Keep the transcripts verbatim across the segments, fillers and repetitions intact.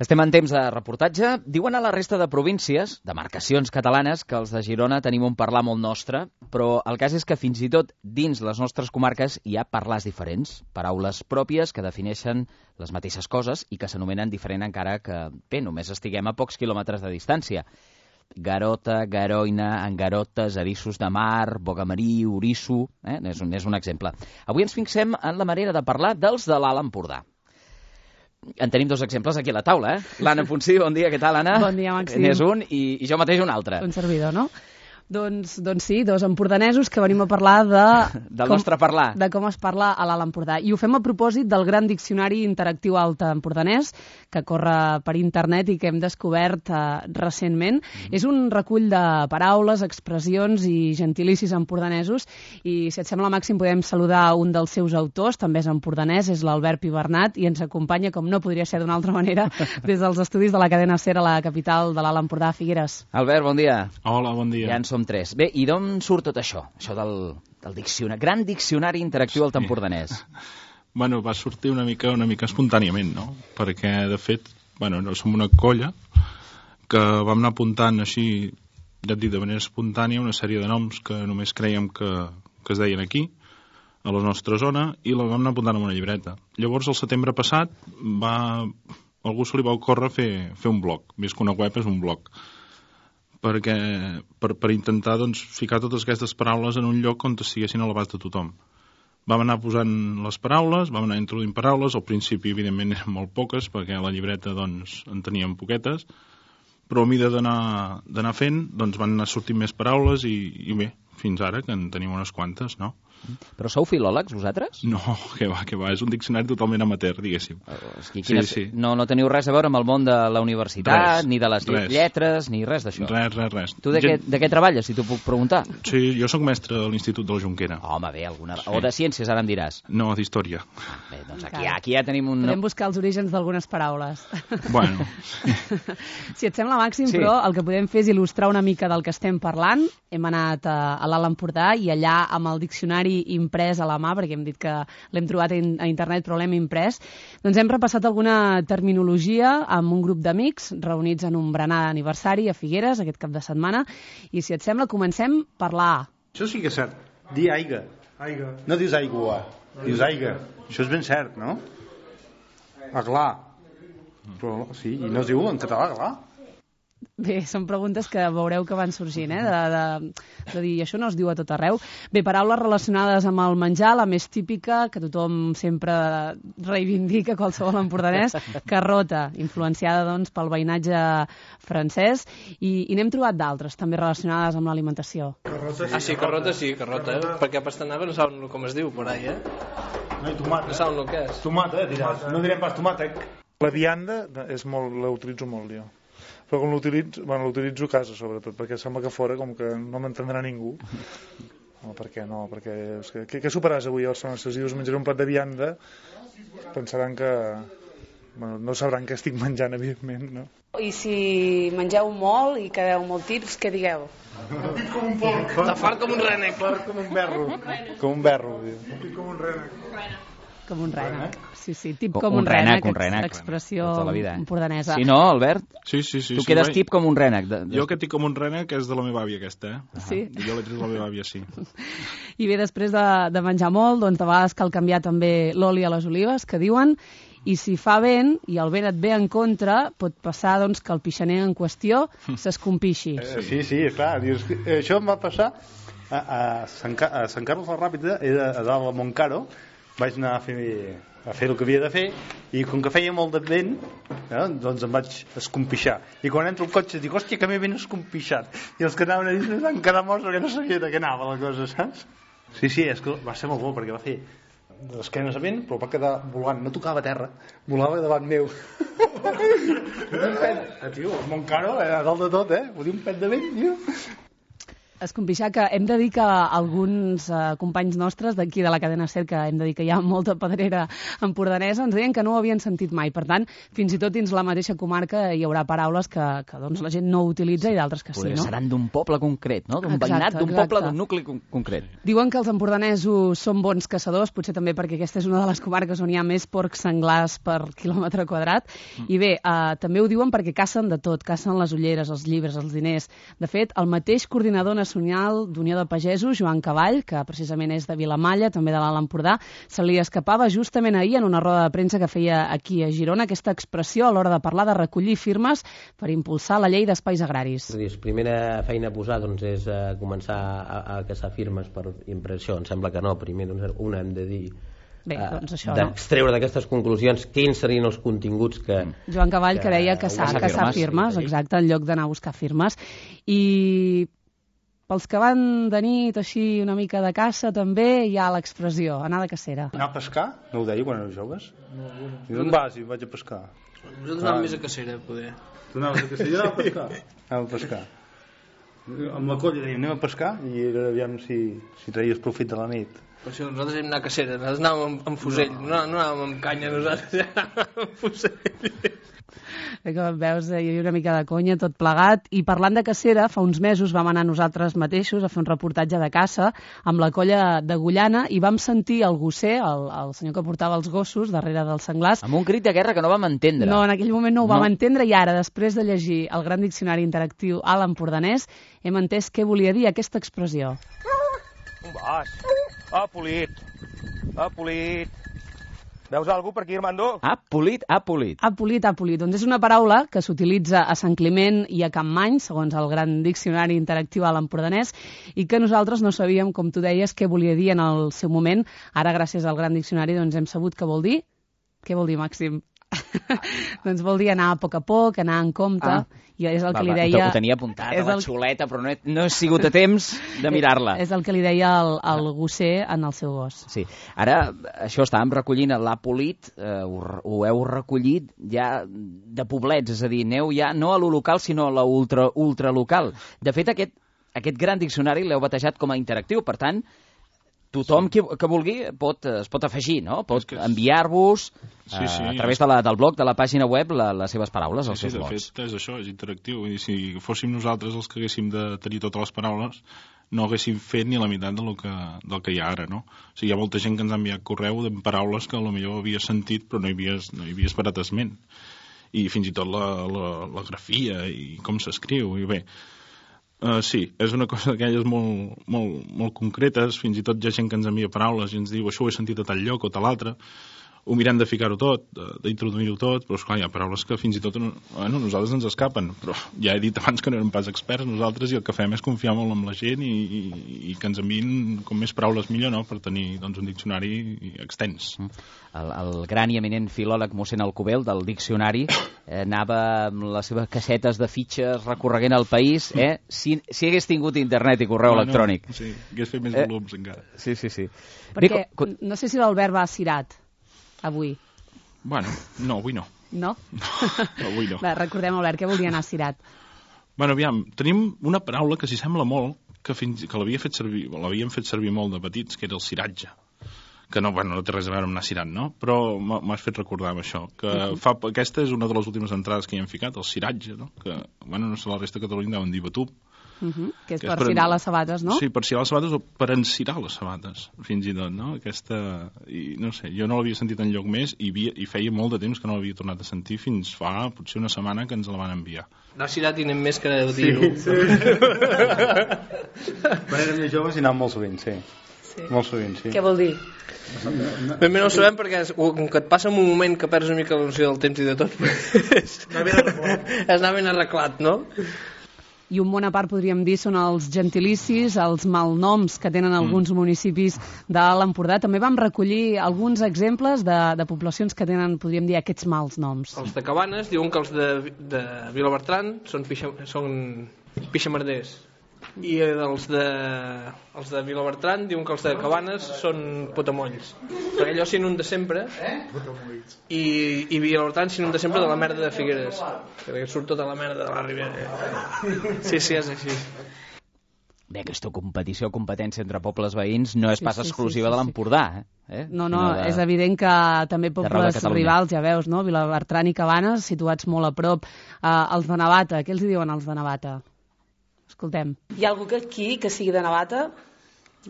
Estem en temps de reportatge. Diuen a la resta de províncies, demarcacions catalanes, que els de Girona tenim un parlar molt nostre, però el cas és que fins i tot dins les nostres comarques hi ha parlars diferents, paraules pròpies que defineixen les mateixes coses i que s'anomenen diferent encara que, bé, només estiguem a pocs quilòmetres de distància. Garota, Garoina, Angarotes, Erissos de Mar, Bogamarí, Orisso... Eh? És, un, és un exemple. Avui ens fixem en la manera de parlar dels de l'Alt Empordà. En tenim dos exemples aquí a la taula, eh? L'Anna Ponsí, bon dia, què tal, Anna? Bon dia, Màxim. N'és un i, i jo mateix un altre. Un servidor, no? Doncs, doncs sí, dos empordanesos que venim a parlar de... Del com, nostre parlar. De com es parla a l'Alt Empordà. I ho fem a propòsit del gran diccionari interactiu alt empordanès, que corre per internet i que hem descobert eh, recentment. Mm. És un recull de paraules, expressions i gentilicis empordanesos. I si et sembla, Màxim, podem saludar un dels seus autors, també és empordanès, és l'Albert Pibernat, i ens acompanya, com no podria ser d'una altra manera, des dels estudis de la cadena SER a la capital de l'Alt Empordà, Figueres. Albert, bon dia. Hola, bon dia. Ja en som tres. Bé, i d'on surt tot això? Això del, del diccionari, gran diccionari interactiu alt empordanès. Bueno, va sortir una mica una mica espontàniament, no? Perquè, de fet, bueno, som una colla que vam anar apuntant així, ja et dic, de manera espontània, una sèrie de noms que només creiem que, que es deien aquí, a la nostra zona, i la vam anar apuntant en una llibreta. Llavors, el setembre passat, va... algú se li va ocórrer fer, fer un blog. Més que una web, és un blog. perquè per, per intentar doncs, ficar totes aquestes paraules en un lloc on estiguessin a l'abast de tothom. Vam anar posant les paraules, vam anar introduint paraules, al principi evidentment eren molt poques, perquè a la llibreta doncs, en teníem poquetes, però a mida d'anar d'anar fent doncs, van anar sortint més paraules i, i bé, fins ara que en tenim unes quantes, no? Però sou filòlegs, vosaltres? No, que va, que va, és un diccionari totalment amateur, diguéssim. És que quines... sí, sí. No, no teniu res a veure amb el món de la universitat, res, ni de les res. lletres, ni res d'això. Res, res, res. Tu de, Gent... què, de què treballes, si t'ho puc preguntar? Sí, jo sóc mestre de l'Institut de la Jonquera. Home, bé, alguna... Sí. O de ciències, ara em diràs. No, d'història. Ah, bé, doncs aquí, aquí ja tenim un... Podem buscar els orígens d'algunes paraules. Bueno. Si et sembla, Màxim, sí. Però el que podem fer és il·lustrar una mica del que estem parlant. Hem anat a, a l'Alt Empordà i allà amb el diccionari imprès a la mà, perquè hem dit que l'hem trobat a internet però l'hem imprès, doncs hem repassat alguna terminologia amb un grup d'amics reunits en un berenar d'aniversari a Figueres aquest cap de setmana, i si et sembla comencem per la A. Això sí que és cert, dir aiga. Aiga. No dius aigua, dius aiga. Això és ben cert, no? Aglà. Però sí, i no es diu en català aglà. Bé, són preguntes que veureu que van sorgint, eh? de, de, de dir, això no es diu a tot arreu. Bé, paraules relacionades amb el menjar, la més típica, que tothom sempre reivindica, qualsevol empordanès, carrota, influenciada doncs, pel veïnatge francès, i, i n'hem trobat d'altres, també relacionades amb l'alimentació. Ah, sí, carrota sí, carrota, eh? Perquè a Pastanaga no saben com es diu, por ahí, eh? No, i tomat. No saben el que és. Tomat, eh, diràs. No direm pas tomàtec. La vianda és molt, la utilitzo molt jo. Però com l'utilitzo, bueno, l'utilitzo a casa, sobretot, perquè sembla que fora com que no m'entendrà ningú. No, per què no? Perquè, és que, què, què superaràs avui a Barcelona? Si els dius menjaré un plat de vianda, pensaran que... Bueno, no sabran què estic menjant, evidentment, no? I si mengeu molt i quedeu molt tips, què digueu? Tip com un porc. De fart com un rènec. Fart com un berro. Com un berro. Tip com un rènec. Com un rènec. Sí, sí, tip com un, un rènec, un rènec. Expressió tota la vida, eh? empordanesa. Sí, no, Albert? Sí, sí, sí. Tu sí, quedes vai. tip com un rènec. De, de... Jo aquest tip com un rènec és de la meva àvia, aquesta, eh? Sí. Uh -huh. Jo l'he tret de la meva àvia, sí. I bé, després de, de menjar molt, doncs a vegades cal canviar també l'oli a les olives, que diuen, i si fa vent, i el vent et ve en contra, pot passar doncs, que el pixaner en qüestió s'escompixi. Eh, sí, sí, clar. Dius, això em va passar a, a, Sant, a Sant Carles la Ràpida, era a dalt de Montcaro, vaig anar a fer, a fer el que havia de fer, i com que feia molt de vent, eh, doncs em vaig escompixar. I quan entro al cotxe dic, hòstia, que m'he ben escompixat. I els que anaven a dins em van quedar morts perquè no sabia de què anava la cosa, saps? Sí, sí, és que va ser molt bo, perquè va fer d'esquenes a vent, però va quedar volant, no tocava terra, volava davant meu. Eh, tio, el Montcaro, a dalt de tot, eh? Vull dir, un pet de vent, tio. Escompixar, que hem de dir que alguns eh, companys nostres d'aquí de la cadena SER, que hem de dir que hi ha molta pedrera empordanesa, ens deien que no ho havien sentit mai. Per tant, fins i tot dins la mateixa comarca hi haurà paraules que, que doncs, la gent no utilitza i d'altres que sí, no? Seran d'un poble concret, no? D'un veïnat, d'un poble, d'un nucli con concret. Diuen que els empordanesos són bons caçadors, potser també perquè aquesta és una de les comarques on hi ha més porcs senglars per quilòmetre quadrat. Mm. I bé, eh, també ho diuen perquè cacen de tot, cacen les ulleres, els llibres, els diners. De fet, el mateix coordinador nacional d'Unió de Pagesos, Joan Cavall, que precisament és de Vilamalla, també de l'Alt Empordà, se li escapava justament ahir en una roda de premsa que feia aquí a Girona aquesta expressió a l'hora de parlar de recollir firmes per impulsar la llei d'espais agraris. La primera feina a posar doncs, és uh, començar a, a caçar firmes per impressió. Em sembla que no, primer doncs, una hem de dir Bé, doncs això, d'extreure no? d'aquestes conclusions quins serien els continguts que... Joan Cavall que, que deia caçar, caçar firmes, firmes sí. Exacte, en lloc d'anar a buscar firmes. I pels que van de nit així una mica de caça també hi ha l'expressió, anar de cacera. Anar a pescar? No ho deia quan éreu joves? No, no. I d'on vas i vaig a pescar? Nosaltres anàvem més a cacera, poder. Tu anaves a cacera i anàvem a pescar? Anàvem a pescar. Amb la colla dèiem anem a pescar i era aviam si, si traies profit de la nit. Per això nosaltres hem anat a cacera, nosaltres anàvem amb, amb fusell, no. No, no anàvem amb canya, nosaltres anàvem amb fusell. Que veus, hi havia una mica de conya, tot plegat. I parlant de cacera, fa uns mesos vam anar nosaltres mateixos a fer un reportatge de caça amb la colla d'Agullana i vam sentir el gosser, el, el senyor que portava els gossos darrere dels senglars. Amb un crit de guerra que no vam entendre. No, en aquell moment no ho no. vam entendre i ara, després de llegir el gran diccionari interactiu a l'empordanès, hem entès què volia dir aquesta expressió. On vas? Ha polit. Ha polit. Veus algú per aquí, Armando? Ha polit, ha polit. Ha polit, ha polit. Doncs és una paraula que s'utilitza a Sant Climent i a Campmany, segons el gran diccionari interactiu a l'empordanès, i que nosaltres no sabíem, com tu deies, què volia dir en el seu moment. Ara, gràcies al gran diccionari, doncs hem sabut què vol dir. Què vol dir, Màxim? Doncs vol dir anar a poc a poc, anar en compte, ah. i és el va, que li deia... Ho tenia apuntat a la el... xuleta, però no he, no he sigut a temps de mirar-la. És el que li deia el, el gosser en el seu gos. Sí. Ara, això estàvem recollint, l'ha polit, eh, ho, ho heu recollit ja de poblets, és a dir, aneu ja no a lo local, sinó a la ultra, ultralocal. De fet, aquest, aquest gran diccionari l'heu batejat com a interactiu, per tant, tothom sí. que, que vulgui pot, es pot afegir, no? Pot que... enviar-vos sí, sí, a través de la, del blog, de la pàgina web, la, les seves paraules, sí, els seus sí, blogs. Sí, de fet, és això, és interactiu. Vull dir, si fóssim nosaltres els que haguéssim de tenir totes les paraules, no haguéssim fet ni la meitat del que, del que hi ha ara, no? O sigui, hi ha molta gent que ens ha enviat correu de paraules que potser havies sentit però no hi havies, no hi havies parat esment. I fins i tot la, la, la grafia i com s'escriu, i bé... Uh, sí, és una cosa d'aquelles molt, molt, molt concretes, fins i tot hi ha gent que ens envia paraules i ens diu això ho he sentit a tal lloc o tal altre, ho mirem de ficar-ho tot, d'introduir-ho tot, però esclar, hi ha paraules que fins i tot bueno, nosaltres ens escapen, però ja he dit abans que no érem pas experts nosaltres i el que fem és confiar molt en la gent i, i, i que ens enviïn com més paraules millor, no?, per tenir doncs, un diccionari extens. El, el gran i eminent filòleg mossèn Alcobel del diccionari eh, anava amb les seves cassetes de fitxes recorreguent el país, eh? si, si hagués tingut internet i correu no, electrònic. No, sí, hagués fet més eh? volums encara. Sí, sí, sí. Perquè Bé, no sé si l'Albert va cirat avui. Bueno, no, avui no. No? No, avui no. Va, recordem, Albert, què volia anar cirat? Bueno, aviam, tenim una paraula que s'hi sembla molt, que, fins, que l'havia fet servir, l'havíem fet servir molt de petits, que era el ciratge. Que no, bueno, no té res a veure amb anar cirat, no? Però m'has fet recordar amb això. Que uh -huh. fa, aquesta és una de les últimes entrades que hi hem ficat, el ciratge, no? Que, bueno, no sé, la resta de Catalunya deuen dir batub. Uh -huh. Que és que per, per cirar les sabates, no? Sí, per cirar les sabates o per encirar les sabates, fins i tot, no? Aquesta... I, no sé, jo no l'havia sentit enlloc més i, havia, i feia molt de temps que no l'havia tornat a sentir fins fa potser una setmana que ens la van enviar. No cirat i anem més que dir-ho. Sí, sí. Quan érem més joves i anàvem molt sovint, sí. Sí. Molt sovint, sí. Què vol dir? Ben bé no ho sabem perquè com que et passa en un moment que perds una mica la noció del temps i de tot, és anar ben arreglat, no? I un bon a part, podríem dir, són els gentilicis, els malnoms que tenen alguns mm. municipis de l'Empordà. També vam recollir alguns exemples de, de poblacions que tenen, podríem dir, aquests mals noms. Els de Cabanes diuen que els de, de Vilabertran són, pixa, són pixamarders. I els de, els de Vilabertran diuen que els de Cabanes són potamolls, perquè allò s'inunda sempre i, i Vilabertran s'inunda sempre de la merda de Figueres, que surt tota la merda de la Ribera. Sí, sí, és així. Bé, aquesta competició, competència entre pobles veïns no és Sí, pas sí, sí, exclusiva sí, de sí. l'Empordà, eh? No, no, Sinó de- és evident que també d'arreu de pobles Catalunya. rivals, ja veus, no? Vilabertran i Cabanes, situats molt a prop. Uh, els de Navata, què els hi diuen els de Navata? Escoltem. Hi ha algú que aquí que sigui de Navata?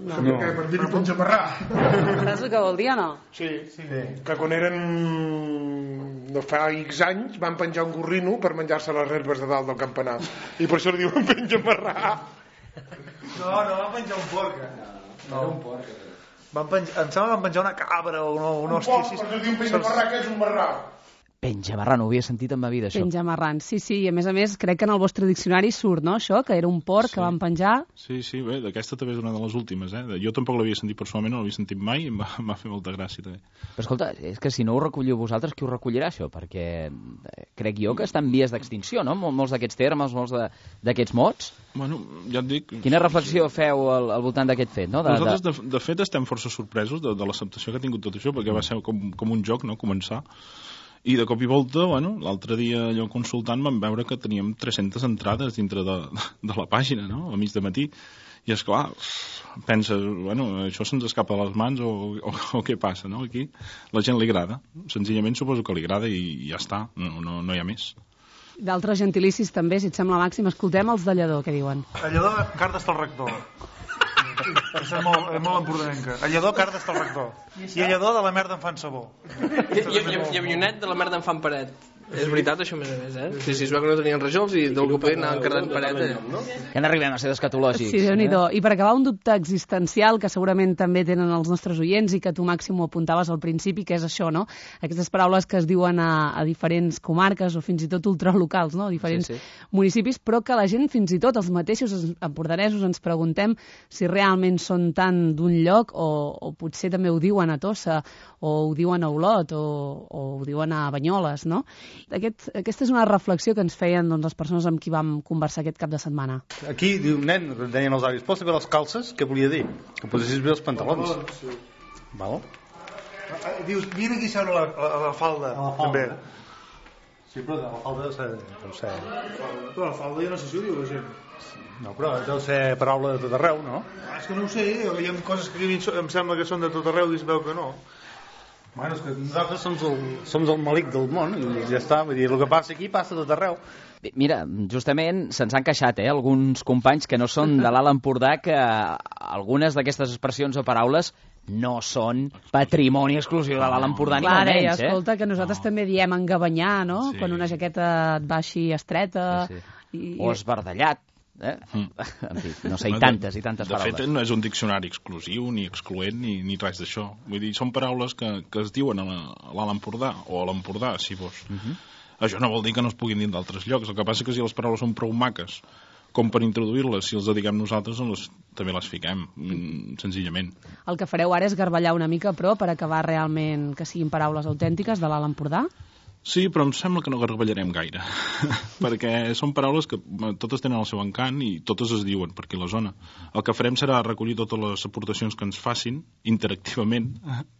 No. No. Que per dir-hi Penjamarrà. Saps el que vol dir o no? Sí, sí, que quan eren no fa X anys van penjar un gorrino per menjar-se les herbes de dalt del campanar i per això li diuen Penjamarrà. No, no van penjar un porc. No, un porc. Van penjar, em sembla que van penjar una cabra o no, un Un hòstia. porc, per això diuen Penjamarrà, que és un marrà. Penjamarrà, no ho havia sentit en ma vida, això. Penjamarrans, sí, sí, i a més a més crec que en el vostre diccionari surt, no?, això, que era un porc Sí. que van penjar. Sí, sí, bé, aquesta també és una de les últimes, eh? Jo tampoc l'havia sentit personalment, no l'havia sentit mai i em va, em va fer molta gràcia, també. Però escolta, és que si no ho recolliu vosaltres, qui ho recollirà, això? Perquè eh, crec jo que està en vies d'extinció, no? Mol- Molts d'aquests termes, molts de- d'aquests mots. Bueno, ja et dic... Quina reflexió feu al, al voltant d'aquest fet, no? De, Nosaltres, de... de, de fet, estem força sorpresos de, de l'acceptació que ha tingut tot això, perquè va ser com, com un joc, no?, començar. I de cop i volta, bueno, l'altre dia allò consultant vam veure que teníem tres-centes entrades dintre de, de la pàgina, no?, a mig de matí. I és clar, penses, bueno, això se'ns escapa de les mans o, o, o què passa, no?, aquí. La gent li agrada, senzillament suposo que li agrada i, i ja està, no, no, no hi ha més. D'altres gentilicis també, si et sembla, Màxim. Escoltem els de Lledó, què diuen. A Lledó, cardes del rector. Això és molt, és molt empordanenca. A Lledó, cardes del rector. I a Lledó, de la merda en fan sabó. I, i, i, i avionet de la merda en fan paret. És veritat, això, a més a més, eh? Sí, sí, es veu que no tenien rajols i d'algú podien anar carregant paret, eh? Que n'arribem a ser escatològics. Sí, Déu-n'hi-do. I per acabar, un dubte existencial que segurament també tenen els nostres oients i que tu, Màxim, ho apuntaves al principi, que és això, no? Aquestes paraules que es diuen a, a diferents comarques o fins i tot ultralocals, no? A diferents Sí, sí. municipis, però que la gent, fins i tot els mateixos empordanesos, ens preguntem si realment són tan d'un lloc o, o potser també ho diuen a Tossa o ho diuen a Olot o, o ho diuen a Banyoles, no? Aquest, aquesta és una reflexió que ens feien doncs, les persones amb qui vam conversar aquest cap de setmana. Aquí diu un nen, deien els avis, pots bé les calces? Què volia dir? Que posessis bé els pantalons. Sí. Val? Dius, vine aquí a seure a la, a la falda, A la falda. també. Sí, però de la falda deu ser... Deu ser... Però la falda jo no sé si ho diu la gent. No, però deu ser paraula de tot arreu, no? Ah, és que no ho sé, hi ha coses que a mi em sembla que són de tot arreu i es veu que no. Bueno, és que nosaltres som el, som el malic del món i ja està, vull dir, el que passa aquí passa a tot arreu. Bé, mira, justament se'ns han queixat, eh, alguns companys que no són de l'Alt Empordà, que algunes d'aquestes expressions o paraules no són patrimoni exclusiu de l'Alt Empordà, ni Clar, molt deia, menys, eh? escolta, que nosaltres no. també diem engabanyar, no? Sí. Quan una jaqueta et va així estreta... Sí, sí. I... O esbardallat, eh? Mm. En fi, no sé, i tantes i tantes de paraules. fet, no és un diccionari exclusiu, ni excloent, ni, ni res d'això. Vull dir, són paraules que, que es diuen a la- a l'Alt Empordà, o a l'Empordà, si vols. Uh -huh. Això no vol dir que no es puguin dir d'altres llocs. El que passa que si les paraules són prou maques com per introduir-les, si els dediquem nosaltres, doncs les, també les fiquem, mm, senzillament. El que fareu ara és garballar una mica, però, per acabar realment que siguin paraules autèntiques de l'Alt Empordà? Sí, però em sembla que no garballarem gaire, perquè són paraules que eh, totes tenen el seu encant i totes es diuen per aquí a la zona. El que farem serà recollir totes les aportacions que ens facin interactivament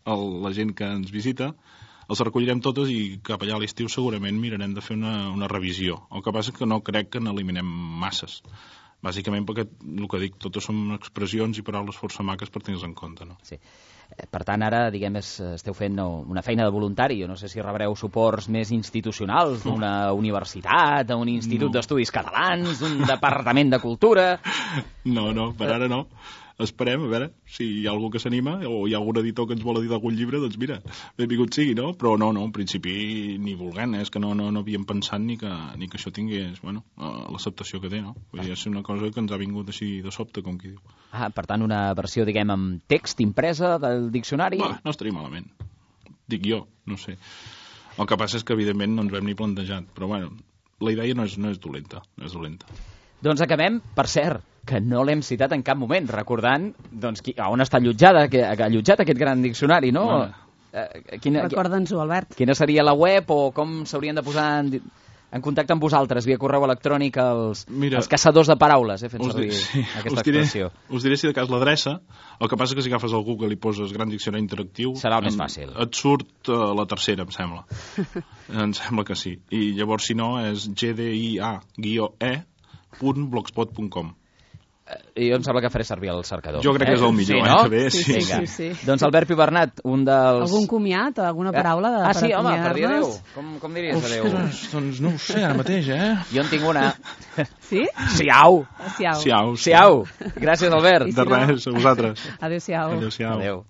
el, la gent que ens visita, els recollirem totes i cap allà a l'estiu segurament mirarem de fer una, una revisió. El que passa és que no crec que n'eliminem masses. Bàsicament perquè, el que dic, totes són expressions i paraules força maques per tenir-les en compte, no? Sí. Eh, Per tant, ara, diguem, és, esteu fent no, una feina de voluntari. Jo no sé si rebreu suports més institucionals d'una universitat, d'un institut No. d'estudis catalans, d'un departament de cultura... No, no, per ara no. Esperem, a veure, si hi ha algú que s'anima o hi ha algun editor que ens vol editar algun llibre, doncs mira, benvingut sigui, no? Però no, no, en principi ni volent, eh? És que no, no, no havíem pensat ni que, ni que això tingués, bueno, eh, l'acceptació que té, no? Vull dir, és una cosa que ens ha vingut així de sobte, com qui diu. Ah, per tant, una versió, diguem, amb text impresa del diccionari... Va, no estaria malament. Dic jo, no sé. El que passa és que, evidentment, no ens ho hem ni plantejat, però, bueno, la idea no és, no és dolenta, no és dolenta. Doncs acabem, per cert, que no l'hem citat en cap moment, recordant doncs, qui, on està allotjada, que, ha allotjat aquest gran diccionari, no? Bueno. Eh, quina, Recorda'ns-ho, Albert. quina seria la web o com s'haurien de posar en, en contacte amb vosaltres via correu electrònic els, Mira, els caçadors de paraules, eh, fent Us, servir di sí, aquesta us, diré, expressió. us diré si de cas l'adreça. El que passa que si agafes el Google i poses Gran Diccionari Interactiu... Serà el més em- fàcil. Et surt uh, la tercera, em sembla. Em sembla que sí. I llavors, si no, és gdia-e punt blogspot punt com. I jo em sembla que faré servir el cercador. Jo crec que és el millor, sí, eh? no? Que bé, Sí, sí. sí, Vinga. sí, sí. Doncs Albert Pibernat, un dels... Algun comiat, alguna paraula de, Ah, sí, per home, per dir adéu. acomiadar-nos? Com, com diries adéu? Ostres, doncs no ho sé ara mateix, eh? Jo en tinc una. Sí? Siau! Siau. Siau. Siau! Gràcies, Albert. I si De no- res, a vosaltres. Adéu-siau. Adéu-siau. Adéu.